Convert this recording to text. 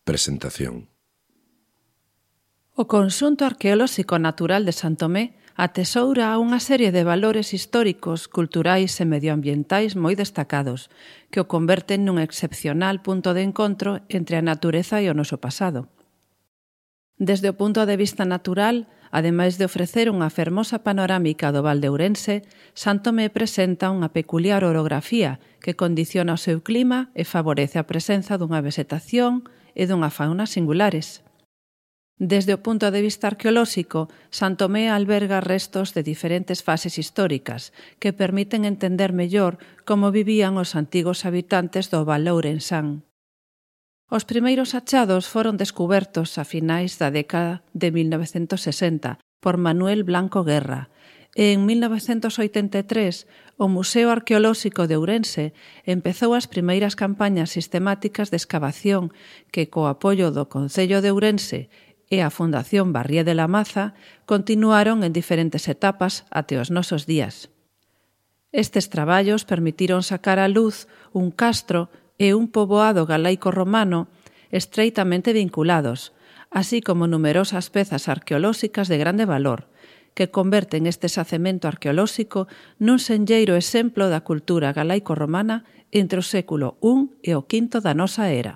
Presentación. O conxunto arqueolóxico natural de San Tomé atesoura unha serie de valores históricos, culturais e medioambientais moi destacados, que o converten nun excepcional punto de encontro entre a natureza e o noso pasado. Desde o punto de vista natural, ademais de ofrecer unha fermosa panorámica do Val de Ourense, San Tomé presenta unha peculiar orografía que condiciona o seu clima e favorece a presenza dunha vegetación e dunha fauna singulares. Desde o punto de vista arqueolóxico, San Tomé alberga restos de diferentes fases históricas que permiten entender mellor como vivían os antigos habitantes do Val Ourensán. Os primeiros achados foron descubertos a finais da década de 1960 por Manuel Blanco Guerra e en 1983 o Museo Arqueolóxico de Ourense empezou as primeiras campañas sistemáticas de escavación que, co apoio do Concello de Ourense e a Fundación Barrié de la Maza, continuaron en diferentes etapas até os nosos días. Estes traballos permitiron sacar á luz un castro e un poboado galaico-romano estreitamente vinculados, así como numerosas pezas arqueolóxicas de grande valor, que converten este xacemento arqueolóxico nun senlleiro exemplo da cultura galaico-romana entre o século I e o V da nosa era.